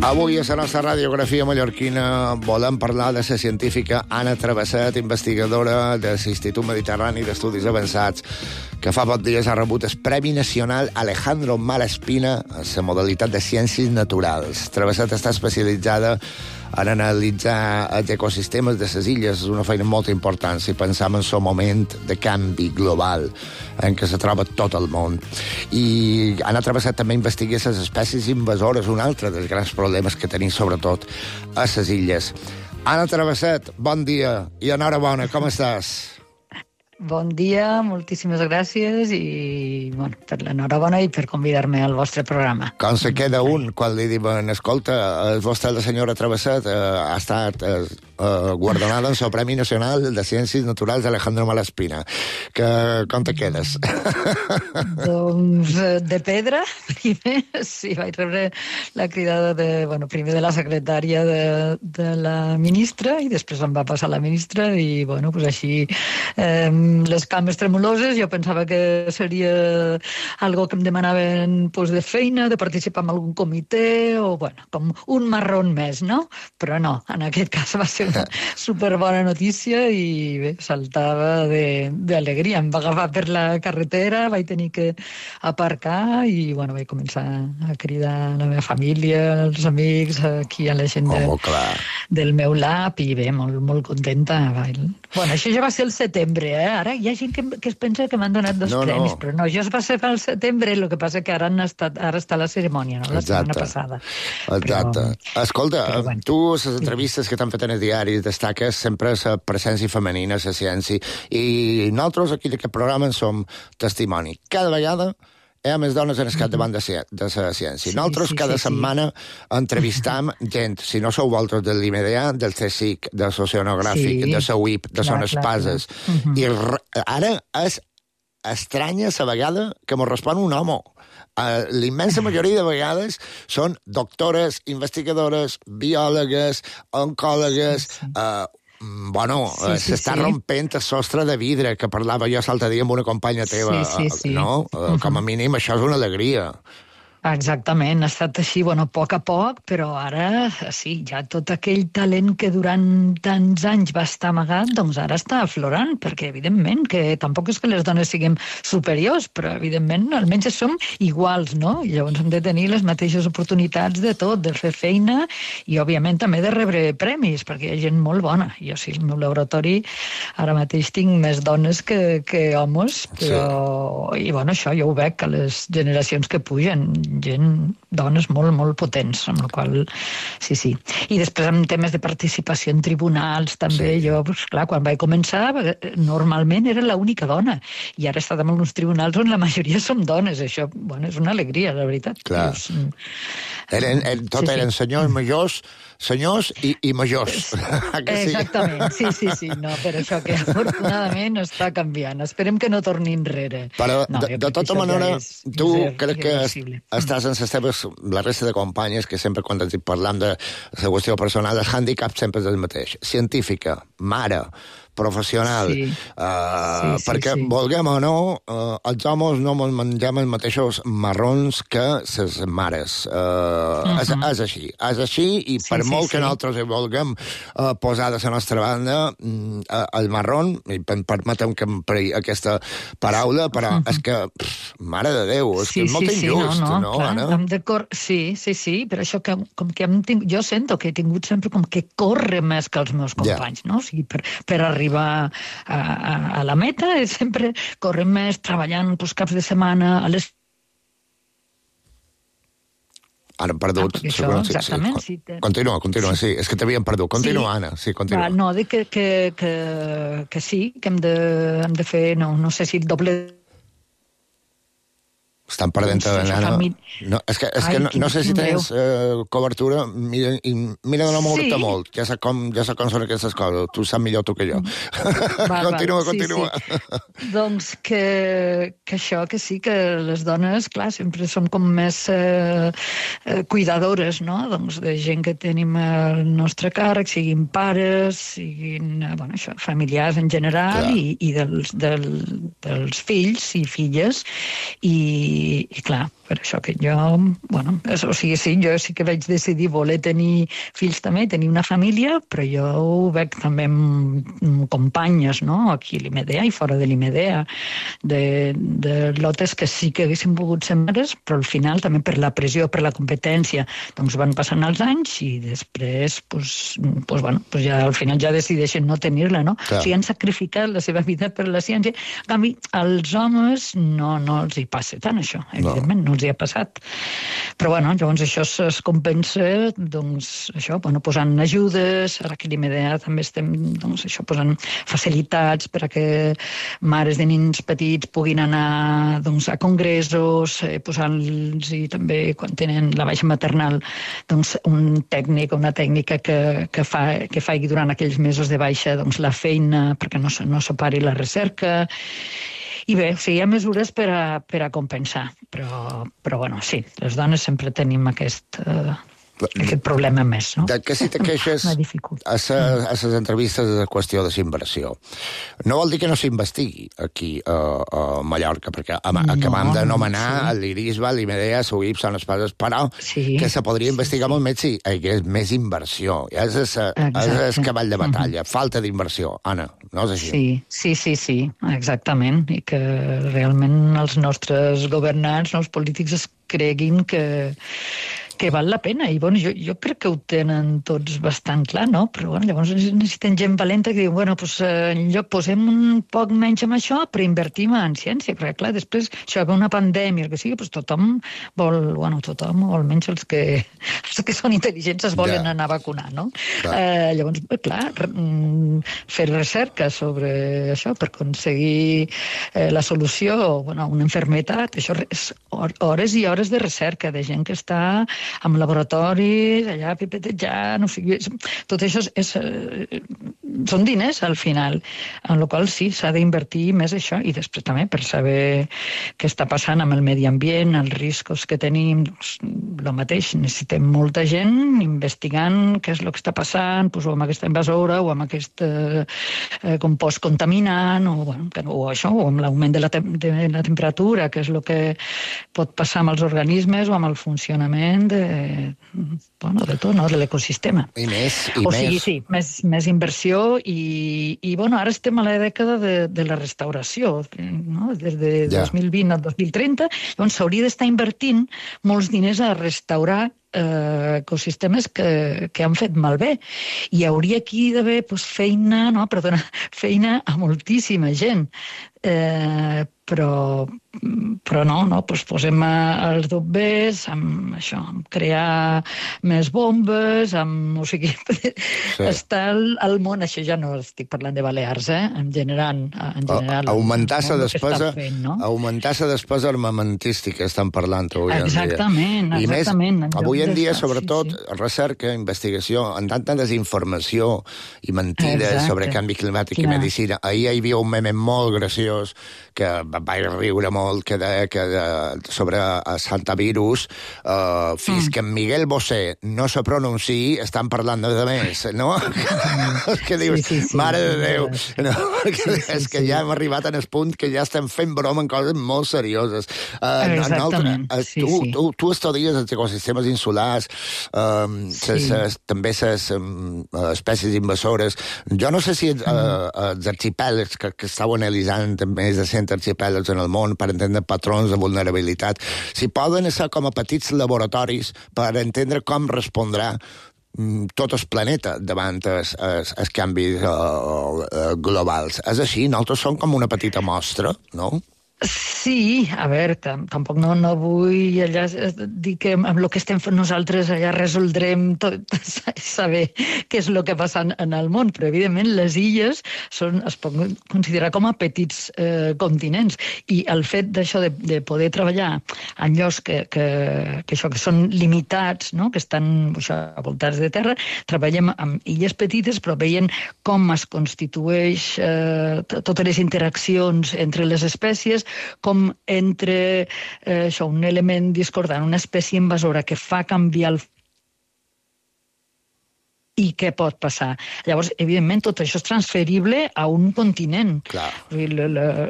Avui a la nostra radiografia mallorquina volem parlar de la científica Anna Travesset, investigadora de l'Institut Mediterrani d'Estudis Avançats, que fa pocs dies ha rebut el Premi Nacional Alejandro Malaspina a la modalitat de Ciències Naturals. Travesset està especialitzada en analitzar els ecosistemes de les illes. És una feina molt important si pensam en el moment de canvi global en què se troba tot el món. I Anna Travesset també investiga les espècies invasores, un altre dels grans problemes que tenim, sobretot, a les illes. Anna Travesset, bon dia i enhorabona, com estàs? Bon dia, moltíssimes gràcies i per l'enhorabona i per convidar-me al vostre programa. Com se queda un quan li diuen, escolta, el vostre la senyora Travesset ha estat guardonada en el Premi Nacional de Ciències Naturals d'Alejandro Malaspina. Com te quedes? Doncs de pedra, primer. Sí, vaig rebre la cridada primer de la secretària de la ministra i després em va passar la ministra i, així les cames tremoloses. Jo pensava que seria algo que em demanaven de feina, de participar en algun comitè o, com un marrón més, no? Però no, en aquest cas va ser una superbona notícia i bé, saltava d'alegria. Em va agafar per la carretera, vaig tenir que aparcar i, vaig començar a cridar la meva família, els amics, aquí a la gent del meu lab i bé, molt contenta. Això ja va ser el setembre, Ara hi ha gent que es pensa que m'han donat dos premis, però no, això es va ser al setembre, el que passa que ara està la cerimònia, no? La setmana passada. Exacte. Escolta, tu, les entrevistes que t'han fet en els diaris, destaques sempre la presència femenina, la ciència, i nosaltres aquí d'aquest programa en som testimoni. Cada vegada hi ha més dones en el capdavant de la ciència. Nosaltres cada setmana entrevistam gent, si no sou vosaltres de l'IMDA, del CSIC, del Socionogràfic, de la UIP, de Son Espases. I ara és estranya la vegada que mos respon un home. L'immensa majoria de vegades són doctores, investigadores, biòlogues, oncòlogues, s'està rompent el sostre de vidre que parlava jo l'altre dia amb una companya teva, no? Com a mínim això és una alegria. Exactament, ha estat així, a poc a poc, però ara sí, ja tot aquell talent que durant tants anys va estar amagat, doncs ara està aflorant, perquè evidentment que tampoc és que les dones siguem superiors, però evidentment almenys som iguals, no? I llavors hem de tenir les mateixes oportunitats de tot, de fer feina i òbviament també de rebre premis, perquè hi ha gent molt bona. Jo sí, al meu laboratori ara mateix tinc més dones que homes, però i això jo ho veig a les generacions que pugen, dones molt potents, amb la qual sí. I després en temes de participació en tribunals també, jo, quan vaig començar normalment era l'única dona i ara he estat en alguns tribunals on la majoria som dones, això, és una alegria, la veritat. Clar. Eren senyors majors, senyors i majors. Exactament, sí, no, però això que afortunadament està canviant. Esperem que no torni enrere. Però, de tota manera, tu crec que estàs en la resta de companyes que sempre quan ens parlam de la qüestió personal, el hàndicap sempre és el mateix. Científica, mare, professional, perquè, vulguem o no, els homes no mengem els mateixos marrons que les mares. És així, i per molt que nosaltres vulguem posar de la nostra banda el marrón, i permetem que empri aquesta paraula, però és que, mare de Déu, és que és molt injust, no, Anna? Sí, però això que com que jo sento que he tingut sempre com que córrer més que els meus companys, no? O sigui, per arribar a la meta, sempre correm més, treballant caps de setmana, a les... Ara hem perdut. Exactament. Continua, sí. És que t'havíem perdut. Continua, Anna. Sí, continua. No, dic que sí, que hem de fer, no sé si el doble... estan perdent la nena. No, és que no sé si tens cobertura, mira de no moure-te molt, ja sé com són aquestes coses, tu saps millor tu que jo. Continua. Doncs que això, que sí, que les dones, clar, sempre som com més cuidadores, no?, doncs de gent que tenim al nostre càrrec, siguin pares, siguin, familiars en general, i dels fills i filles, i clar, per això que jo, jo sí que vaig decidir voler tenir fills també, tenir una família, però jo ho veig també amb companyes, no?, aquí a l'IMEDEA i fora de l'IMEDEA, de lotes que sí que haguessin pogut ser mares, però al final també per la pressió, per la competència, doncs van passant els anys i després, ja al final ja decideixen no tenir-la, no? O sigui, han sacrificat la seva vida per la ciència. En canvi, als homes no els hi passa tant, això, evidentment, no els hi ha passat. Però, llavors això es compensa, doncs, això, posant ajudes, ara que a l'IMEDEA també estem, doncs, això, posant facilitats per a que mares de nens petits puguin anar, doncs, a congressos, posant-los també, quan tenen la baixa maternal, doncs, un tècnic o una tècnica que faci durant aquells mesos de baixa, doncs, la feina perquè no separi la recerca. I bé, o sigui, hi ha mesures per a compensar, però sí, les dones sempre tenim aquest problema més, no? De què si te queixes a les entrevistes de qüestió de inversió? No vol dir que no s'investigui aquí a Mallorca, perquè acabam de nomenar l'IRISBA, l'IMEDEA, l'UIP, són les coses, però que se podria investigar molt més si hi hagués més inversió. És el cavall de batalla, falta d'inversió. Anna, no és així? Sí, exactament, i que realment els nostres governants, els polítics, es creguin que val la pena, i jo crec que ho tenen tots bastant clar, no? Però llavors necessiten gent valenta que diu, en lloc posem un poc menys en això, però invertim en ciència, perquè clar, després això ve una pandèmia, que sigui, tothom vol, tothom, o almenys els que són intel·ligents es volen anar a vacunar, no? Llavors, clar, fer recerca sobre això per aconseguir la solució a una malaltia, això és hores i hores de recerca, de gent que està amb laboratoris, allà pipetejant, tot això són diners al final, en la qual sí, s'ha d'invertir més això, i després també per saber què està passant amb el medi ambient, els riscos que tenim, el mateix, necessitem molta gent investigant què és el que està passant, o amb aquesta invasora, o amb aquest compost contaminant, o això, o amb l'augment de la temperatura, que és el que pot passar amb els organismes o amb el funcionament de tot, no? De l'ecosistema. I més. O sigui, sí, més inversió i ara estem a la dècada de la restauració, no? Des de 2020 al 2030, llavors s'hauria d'estar invertint molts diners a restaurar ecosistemes que han fet malbé. I hauria aquí d'haver feina a moltíssima gent. Però no, posem els bombers amb això, amb crear més bombes, o sigui, està al món, això ja no estic parlant de Balears, en general. Augmentar la despesa armamentística estan parlant avui en dia. Exactament. I més, avui en dia, sobretot, recerca, investigació, amb tanta desinformació i mentides sobre canvi climàtic i medicina. Ahir hi havia un meme molt graciós que vaig riure molt, que sobre Santavirus, fins que en Miguel Bosé no se pronunciï, estan parlant de més, no? Que dius, mare de Déu, és que ja hem arribat en el punt que ja estem fent broma en coses molt serioses. Exactament. Tu estudies els ecosistemes insulars, també les espècies invasores. Jo no sé si els arxipèlags que estàu analitzant més de 100 arxipèlags en el món per entendre patrons de vulnerabilitat, si poden ser com a petits laboratoris per entendre com respondrà tot el planeta davant els canvis globals. És així? Nosaltres som com una petita mostra, no? Sí, a veure, tampoc no vull allà dir que amb el que estem fent nosaltres allà resoldrem tot, saber què és el que passa en el món, però evidentment les illes es poden considerar com a petits continents, i el fet d'això de poder treballar en llocs que són limitats, no? Que estan voltats de terra, treballem amb illes petites, però veient com es constitueix totes les interaccions entre les espècies, com entre un element discordant, una espècie invasora que fa canviar el i què pot passar. Llavors, evidentment, tot això és transferible a un continent. Clar.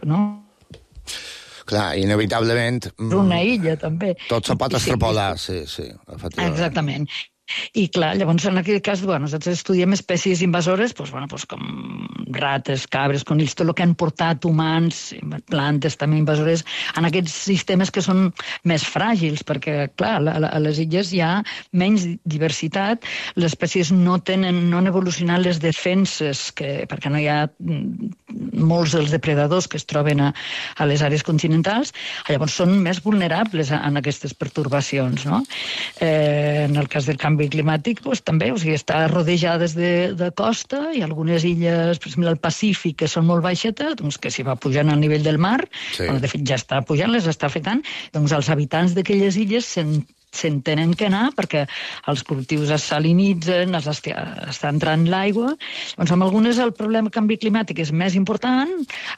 No? Clar, inevitablement... Una illa, també. Tot se pot extrapolar, sí, efectivament. Exactament. I clar, llavors en aquest cas nosaltres estudiem espècies invasores com rates, cabres, conills, tot el que han portat humans, plantes també invasores, en aquests sistemes que són més fràgils, perquè clar, a les illes hi ha menys diversitat, les espècies no han evolucionat les defenses, perquè no hi ha molts dels depredadors que es troben a les àrees continentals, llavors són més vulnerables a aquestes pertorbacions, no? En el cas del canvi climàtic també, està rodejades de costa i algunes illes, per exemple, al Pacífic, que són molt baixetes, que s'hi va pujant al nivell del mar, de fet ja està pujant, les està afectant, els habitants d'aquelles illes se'n tenen que anar perquè els cultius es salinitzen, està entrant l'aigua. Doncs amb algunes el problema del canvi climàtic és més important,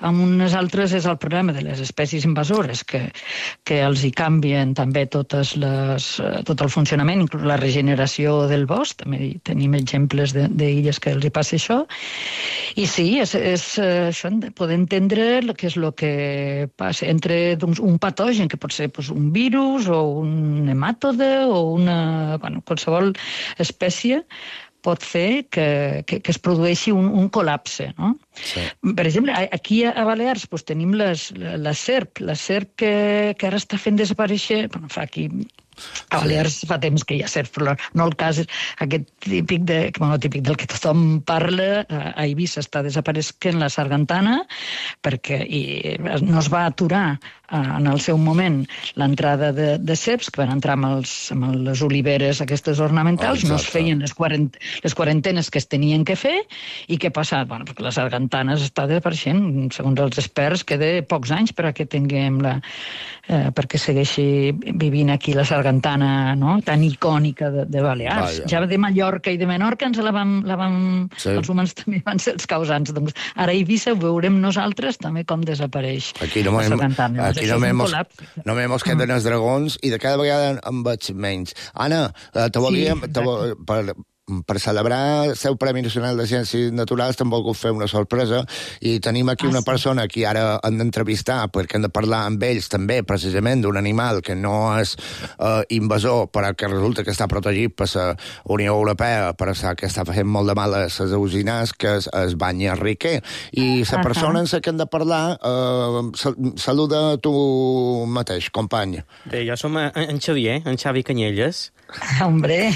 amb unes altres és el problema de les espècies invasores, que els hi canvien també tot el funcionament, inclús la regeneració del bosc. També tenim exemples d'illes que els hi passa això. I sí, és això, poder entendre què és el que passa entre un patogen, que pot ser un virus o un nematode, o qualsevol espècie pot fer que es produeixi un col·lapse, no? Sí. Per exemple, aquí a Balears tenim la serp que ara està fent desaparèixer, a Balears fa temps que hi ha serp, però no el cas aquest típic del que tothom parla. A Eivissa està desapareixent la sargantana perquè no es va aturar en el seu moment l'entrada de serps que van entrar amb les oliveres aquestes ornamentals, no es feien les quarantenes que es tenien que fer, i què ha passat? Perquè la sargantana està desapareixent, segons els experts queda pocs anys perquè segueixi vivint aquí la sargantana, no? Tan icònica de Balears. Ja de Mallorca i de Menorca els humans també van ser els causants. Doncs ara a Eivissa ho veurem nosaltres també com desapareix la sargantana. Aquí només mos queden els dragons i de cada vegada en veig menys. Anna, te volíem... Per celebrar el seu Premi Nacional de Ciències Naturals t'hem volgut fer una sorpresa i tenim aquí una persona que ara hem d'entrevistar perquè hem de parlar amb ells també precisament d'un animal que no és invasor però que resulta que està protegit per la Unió Europea per això que està fent molt de mal a les ausinars, que és el bany riquer. I la persona en la que hem de parlar saluda tu mateix, company. Bé, jo som en Xavier, en Xavi Canyelles. Hombre!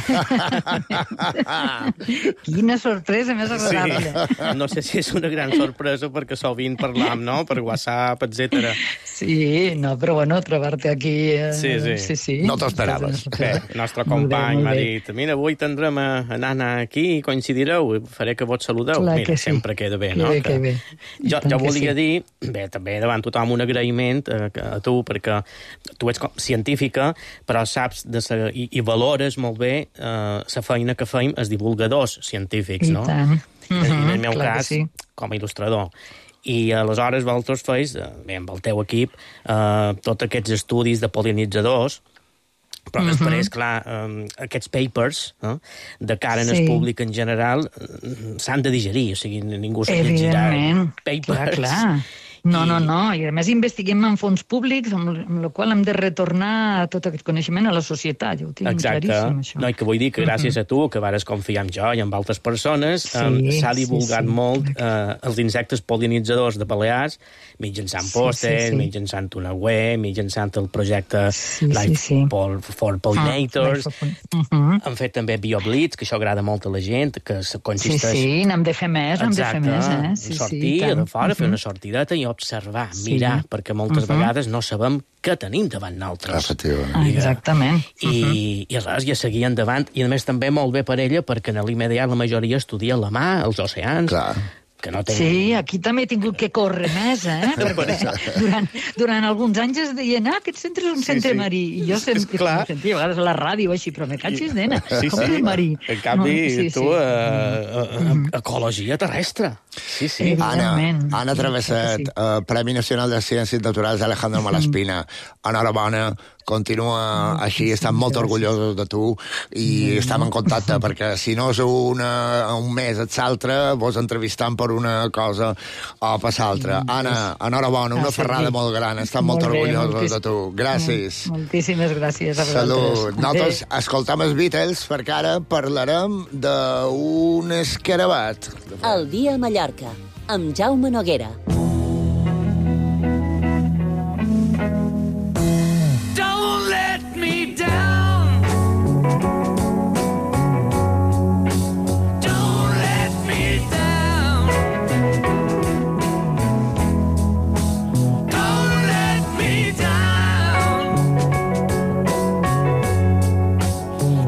Quina sorpresa més agradable. Sí. No sé si és una gran sorpresa perquè sovint parlam, no?, per WhatsApp, etc. Sí, no, però bueno, trobar-te aquí... Sí. No t'ho esperaves. Bé, el nostre company m'ha dit, mira, avui tindrem a Nana aquí i coincidireu, faré que vos saludeu. Clar, mira, sempre queda bé, no? Que bé. Jo volia dir, bé, també davant tothom un agraïment a tu, perquè tu ets científica, però saps i valores molt bé la feina que feim els divulgadors científics, no? I tant. En el meu cas, com a il·lustrador. I aleshores vosaltres feis, bé, amb el teu equip, tots aquests estudis de pol·linitzadors, però després, clar, aquests papers, de cara en el públic en general, s'han de digerir, o sigui, ningú s'ha llegirà papers. Clar. No, i a més investiguem en fons públics, amb el qual hem de retornar tot aquest coneixement a la societat, ja ho tinc claríssim, això. No, i que vull dir que gràcies a tu, que vares confiar en jo i en altres persones, s'ha divulgat molt els insectes pol·linitzadors de Balears, mitjançant pòsters, mitjançant una web, mitjançant el projecte Life for Pollinators. Han fet també BioBlitz, que això agrada molt a la gent, que consisteix... Sí, n'hem de fer més, sortir de fora, fer una sortideta i observar, mirar, perquè moltes vegades no sabem què tenim davant nosaltres. Exactament. I res, ja seguir endavant. I a més també molt bé per ella, perquè en l'immediat la majoria estudia la mar, els oceans. que no tenc... Sí, aquí també he tingut que córrer més, Durant alguns anys es deien, aquest centre és un centre marí. I jo sentia a vegades a la ràdio així, però me catxis, nena, com que és marí? En canvi, tu, ecologia terrestre. Sí. Anna Travesset, Premi Nacional de Ciències Naturals Alejandro Malaspina. Enhorabona, continua així, estem molt orgullosos de tu i estem en contacte, perquè si no és un mes et l'altre, vos entrevistant per una cosa o per l'altra. Anna, enhorabona, una ferrada molt gran, estem molt orgullosos de tu. Gràcies. Moltíssimes gràcies a vosaltres. Salut. Nosaltres escoltem els Beatles perquè ara parlarem d'un escarabat. El dia a Mallorca, amb Jaume Noguera. Don't let me down. Don't let me down. Don't let me down.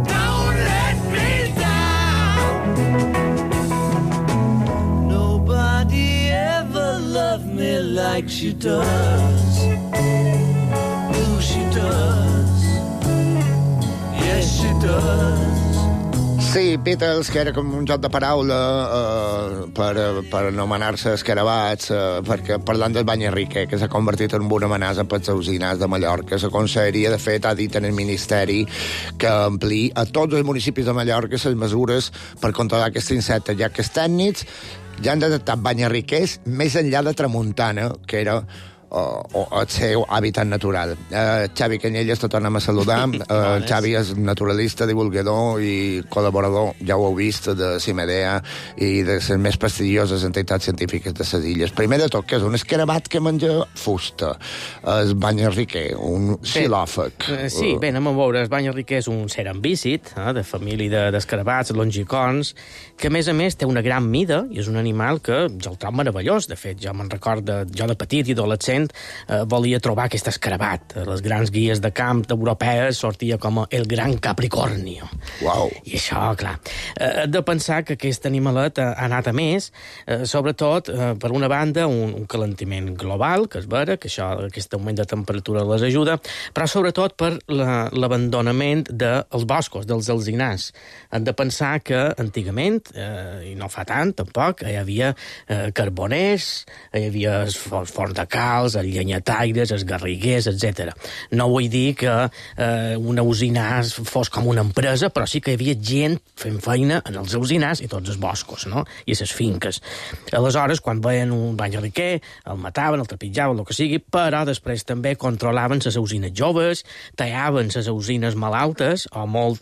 Don't let me down. Nobody ever loved me like she does. Sí, Beatles, que era com un joc de paraula per anomenar-se escarabats, perquè parlant del bany Enrique, que s'ha convertit en una amenaça pels usinars de Mallorca. La conselleria, de fet, ha dit en el Ministeri que ampliï a tots els municipis de Mallorca les mesures per controlar aquests insectes, ja que els tècnics ja han detectat bany enriquers més enllà de Tramuntana, que era el seu hàbitat natural. Xavi Canyelles, te tornem a saludar. Xavi és naturalista, divulgador i col·laborador, ja ho heu vist, de CIMEDEA i de les més prestigioses entitats científiques de les illes. Primer de tot, que és un escarabat que menja fusta. El bany enriquer, un xilòfag. Sí, bé, anem a veure. El bany enriquer és un cerambícid, de família d'escarabats, longicons, que a més té una gran mida i és un animal que jo el trobo meravellós. De fet, jo me'n recordo, jo de petit i adolescent volia trobar aquest escarabat. Les grans guies de camp europees sortia com el gran capricornio. Wow. I això, clar, de pensar que aquest animalet ha anat a més, sobretot, per una banda, un calentiment global, que és vera, que això, aquest augment de temperatura les ajuda, però sobretot per l'abandonament dels boscos, dels alzinars. Hem de pensar que antigament, i no fa tant, tampoc, hi havia carboners, hi havia forns de calç, els llenyataires, els garriguers, etc. No vull dir que una usinars fos com una empresa, però sí que hi havia gent fent feina en els usinars i tots els boscos, no? I les finques. Aleshores, quan veien un bany enriquer, el mataven, el trepitjaven, el que sigui, però després també controlaven les usines joves, tallaven les usines malaltes o molt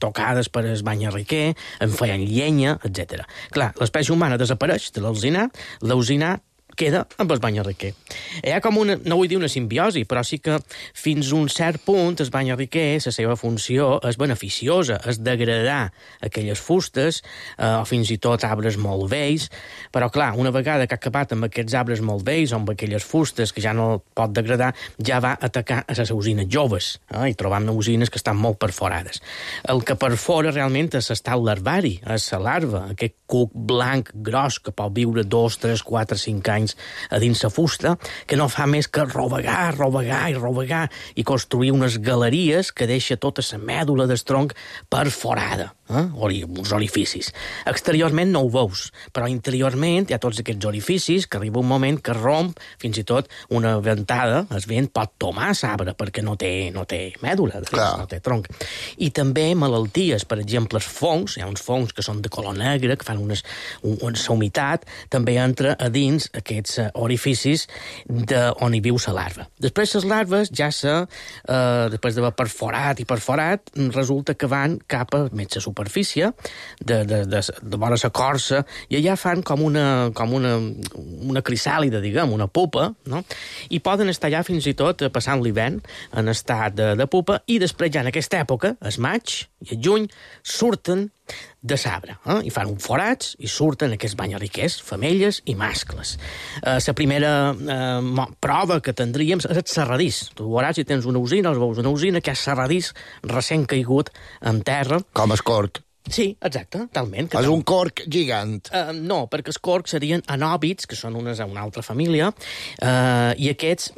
tocades per el bany enriquer, en feien llenya, etc. Clar, l'espècie humana desapareix de l'alzinar, l'alzinar queda amb el bany enriquer. Hi ha com una, no vull dir una simbiosi, però sí que fins a un cert punt el bany enriquer, la seva funció és beneficiosa, és degradar aquelles fustes o fins i tot arbres molt vells, però clar, una vegada que ha acabat amb aquests arbres molt vells o amb aquelles fustes que ja no pot degradar, ja va atacar a les usines joves i trobam usines que estan molt perforades. El que perfora realment és l'estat larvari, és la larva, aquest cuc blanc gros que pot viure 2, 3, 4, 5 anys a dins la fusta, que no fa més que rovegar i construir unes galeries que deixa tota la mèdula del tronc perforada, uns orificis. Exteriorment no ho veus, però interiorment hi ha tots aquests orificis que arriba un moment que romp, fins i tot una ventada, el vent pot tomar l'arbre perquè no té mèdula, no té tronc. I també malalties, per exemple, els fongs, hi ha uns fongs que són de color negre, que fan una humitat, també entra a dins aquests orificis on hi viu la larva. Després les larves ja després d'haver perforat, resulta que van cap a més la superfície, de vora la corsa, i allà fan com una crisàlida, diguem, una pupa, no? I poden estar allà fins i tot passant l'hivern en estat de pupa, i després ja en aquesta època, el maig i el juny, surten de l'arbre, i fan uns forats i surten aquests bany enriquers, femelles i mascles. La primera prova que tindríem és el serradís. Tu veuràs, si tens una usina, els veus una usina que és serradís recent caigut en terra. Com es cort. Sí, exacte, talment. És un corc gigant. No, perquè els corcs serien anòbits, que són una altra família, i aquests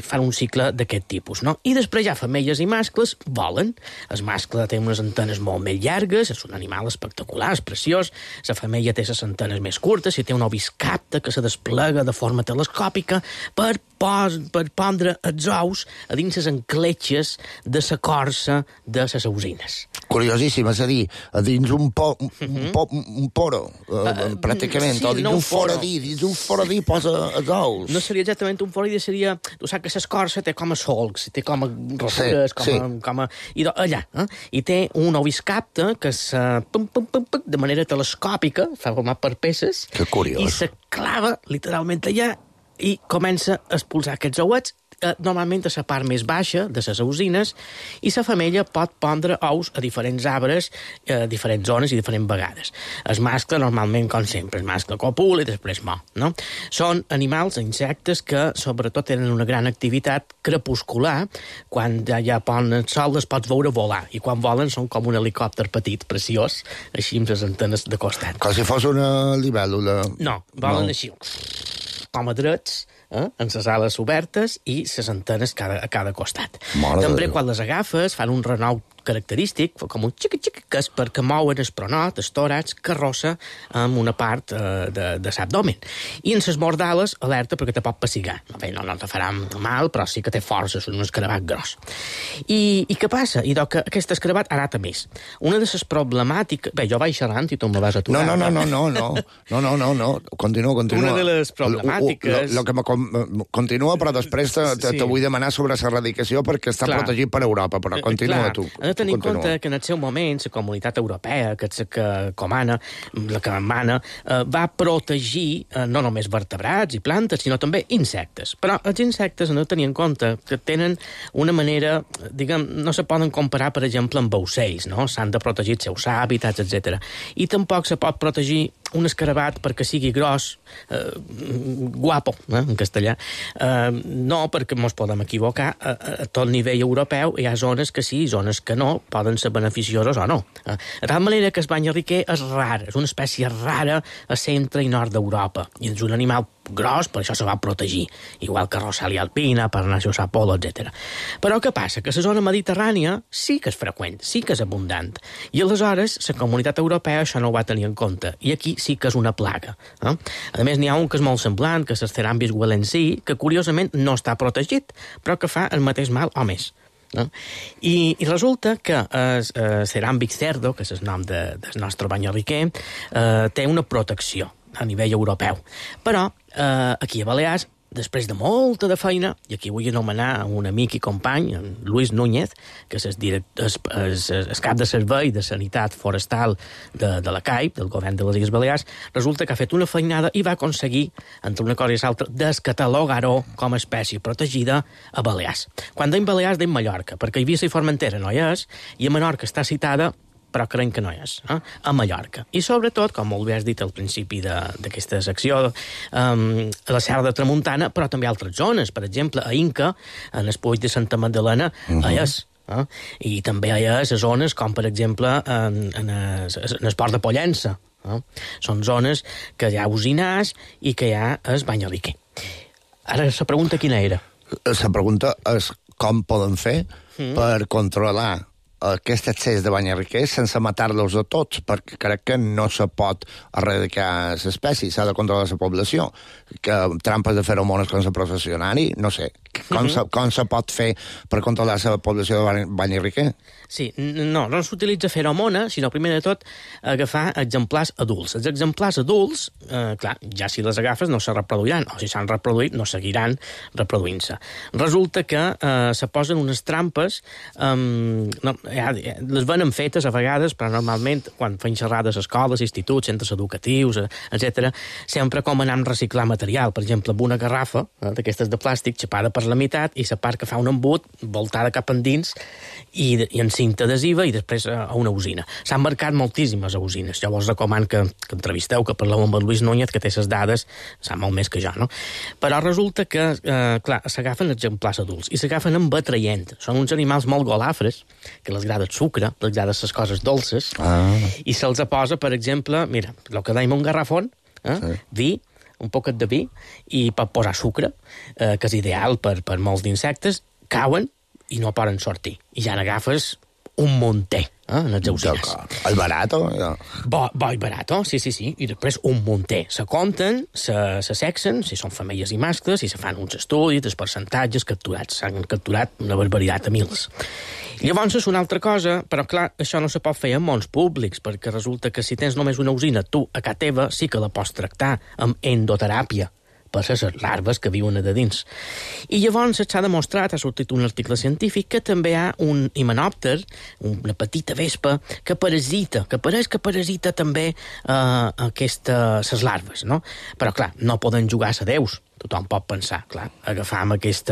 fan un cicle d'aquest tipus, no? I després ja femelles i mascles volen. El mascle té unes antenes molt més llargues, és un animal espectacular, és preciós, la femella té les antenes més curtes i té un oviscapte que se desplega de forma telescòpica per pondre els ous a dins les encletxes de la corsa de les ausines. Curiosíssim, és a dir, a dins un poro, pràcticament, o dins un foradí posa els ous. No seria exactament un foradí, seria... Tu saps que l'escorça té com a solcs, té com a rosques, i allà, i té un oviscapte que de manera telescòpica, fa format per peces, i se clava literalment allà i comença a expulsar aquests ouets, normalment a la part més baixa de les ausines, i la femella pot pondre ous a diferents arbres, a diferents zones i diferents vegades. El mascle, normalment, com sempre, el mascle copula i després mor, no? Són animals, insectes, que sobretot tenen una gran activitat crepuscular. Quan ja ponen el sol les pots veure volar, i quan volen són com un helicòpter petit, preciós, així amb les antenes de costat. Com si fos una libèl·lula. No, volen així, com a drets, amb les ales obertes i les antenes a cada costat. També quan les agafes fan un renou característic, com un xic-xic, que és perquè mouen el pronot, el tòrax, carrossa amb una part de l'abdomen. I en les mordales, alerta perquè te pot pessigar. No te farà mal, però sí que té força, és un escarabat gros. I què passa? I que aquest escarabat arata més. Una de les problemàtiques... Bé, jo vaig xerrant i tu me vas aturar. No. Continua. Una de les problemàtiques... Continua, però després te vull demanar sobre l'erradicació perquè està protegit per Europa, però continua tu. Hem de tenir en compte que en el seu moment la comunitat europea, que comana, la que mana, va protegir no només vertebrats i plantes, sinó també insectes. Però els insectes han de tenir en compte que tenen una manera, diguem, no se poden comparar, per exemple, amb ocells, no? S'han de protegir els seus hàbitats, etc. I tampoc se pot protegir un escarabat perquè sigui gros, guapo, en castellà. No, perquè ens podem equivocar. A tot nivell europeu hi ha zones que sí, zones que no, poden ser beneficioses o no. De tal manera que el banyarriquer és rar, és una espècie rara a centre i nord d'Europa, i és un animal gros, per això se va protegir, igual que Rosalia alpina, Parnassus apollo, etc. Però què passa? Que la zona mediterrània sí que és freqüent, sí que és abundant, i aleshores la comunitat europea això no ho va tenir en compte, i aquí sí que és una plaga. A més, n'hi ha un que és molt semblant, que és el Cerambis guelensii, que curiosament no està protegit, però que fa el mateix mal o més. No? I resulta que el Cerambix cerdo, que és el nom del nostre banyarriquer, té una protecció a nivell europeu. Però aquí a Balears, després de molta de feina, i aquí vull anomenar un amic i company, en Luis Núñez, que és el cap de servei de sanitat forestal de la CAIP, del govern de les Illes Balears, resulta que ha fet una feinada i va aconseguir, entre una cosa i l'altra, descatalogar-ho com a espècie protegida a Balears. Quan deim Balears, deim Mallorca, perquè Eivissa i Formentera no hi és, i a Menorca està citada, però creiem que no és, a Mallorca. I sobretot, com molt bé has dit al principi d'aquesta secció, a la Serra de Tramuntana, però també a altres zones. Per exemple, a Inca, en el Puig de Santa Magdalena, hi és. I també hi ha zones com, per exemple, en el Port de Pollença. Són zones que hi ha usinars i que hi ha el banyarriquer. Ara, la pregunta quina era? La pregunta és com poden fer per controlar aquest excés de banyarriquers sense matar-los a tots, perquè crec que no se pot erradicar l'espècie, s'ha de controlar la població. Que trampes de feromones com la processionari, no sé. Com se pot fer per controlar la població de banyarriquer? Sí, no s'utilitza feromona, sinó primer de tot agafar exemplars adults. Els exemplars adults, clar, ja si les agafes no se reproduiran, o si s'han reproduït no seguiran reproduint-se. Resulta que se posen unes trampes, les venen fetes a vegades, però normalment quan fan xerrades a escoles, instituts, centres educatius, etc., sempre com anar a reciclar material. Per exemple, amb una garrafa d'aquestes de plàstic xapada per per la meitat i la part que fa un embut voltada cap endins i en cinta adhesiva i després a una usina. S'han marcat moltíssimes usines. Jo vos recomano que entrevisteu, que parleu amb el Lluís Núñez, que té les dades, sap molt més que jo, no? Però resulta que, clar, s'agafen exemplars adults i s'agafen amb atraient. Són uns animals molt golafres, que les agrada el sucre, les agrada les coses dolces, i se'ls posa, per exemple, mira, el que dèiem un garrafon, vi, un poquet de vi, i pot posar sucre, que és ideal per molts d'insectes, cauen i no poden sortir. I ja n'agafes un munter, en els auxiliars. El barato? Bo i barato, sí. I després un munter. Se compten, se sexen, si són femelles i mascles, i se fan uns estudis, els percentatges capturats. S'han capturat una barbaritat a mils. Llavors és una altra cosa, però clar, això no se pot fer en mons públics, perquè resulta que si tens només una usina, tu, a casa teva, sí que la pots tractar amb endoteràpia, per les larves que viuen a dins. I llavors s'ha demostrat, ha sortit un article científic, que també hi ha un himenòpter, una petita vespa, que pareix que parasita també les larves, no? Però, clar, no poden jugar a déus. Tothom pot pensar, clar, agafam aquest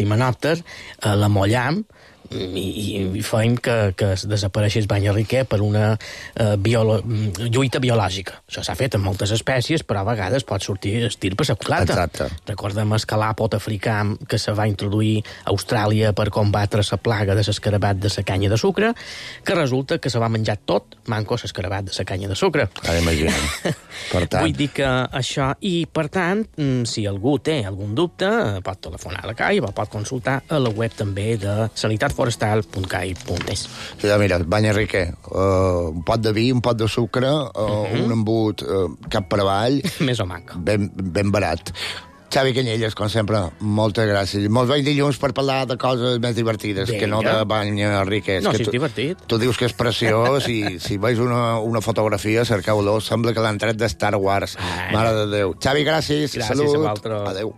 himenòpter, l'amollam, i feim que desapareixés banyarriquer per una lluita biològica. Això s'ha fet en moltes espècies, però a vegades pot sortir estirp a la culata. Exacte. Recordem el calàpot africà que se va introduir a Austràlia per combatre la plaga de l'escarabat de la canya de sucre, que resulta que se va menjar tot manco l'escarabat de la canya de sucre. Imagina't. Vull dir que això, i per tant, si algú té algun dubte, pot telefonar a la CAI o pot consultar a la web també de sanitatforestal.cai.es. Ja, mira, banyarriquer, un pot de vi, un pot de sucre, un embut cap per avall. Més o manca. Ben barat. Xavi Canyelles, com sempre, moltes gràcies. Molts bons dilluns per parlar de coses més divertides, que no de banyarriquer. No, si és divertit. Tu dius que és preciós i si veus una fotografia, cerqueu-lo. Sembla que l'han tret de Star Wars. Mare de Déu. Xavi, gràcies. Gràcies Salut. a vosaltres. Adéu.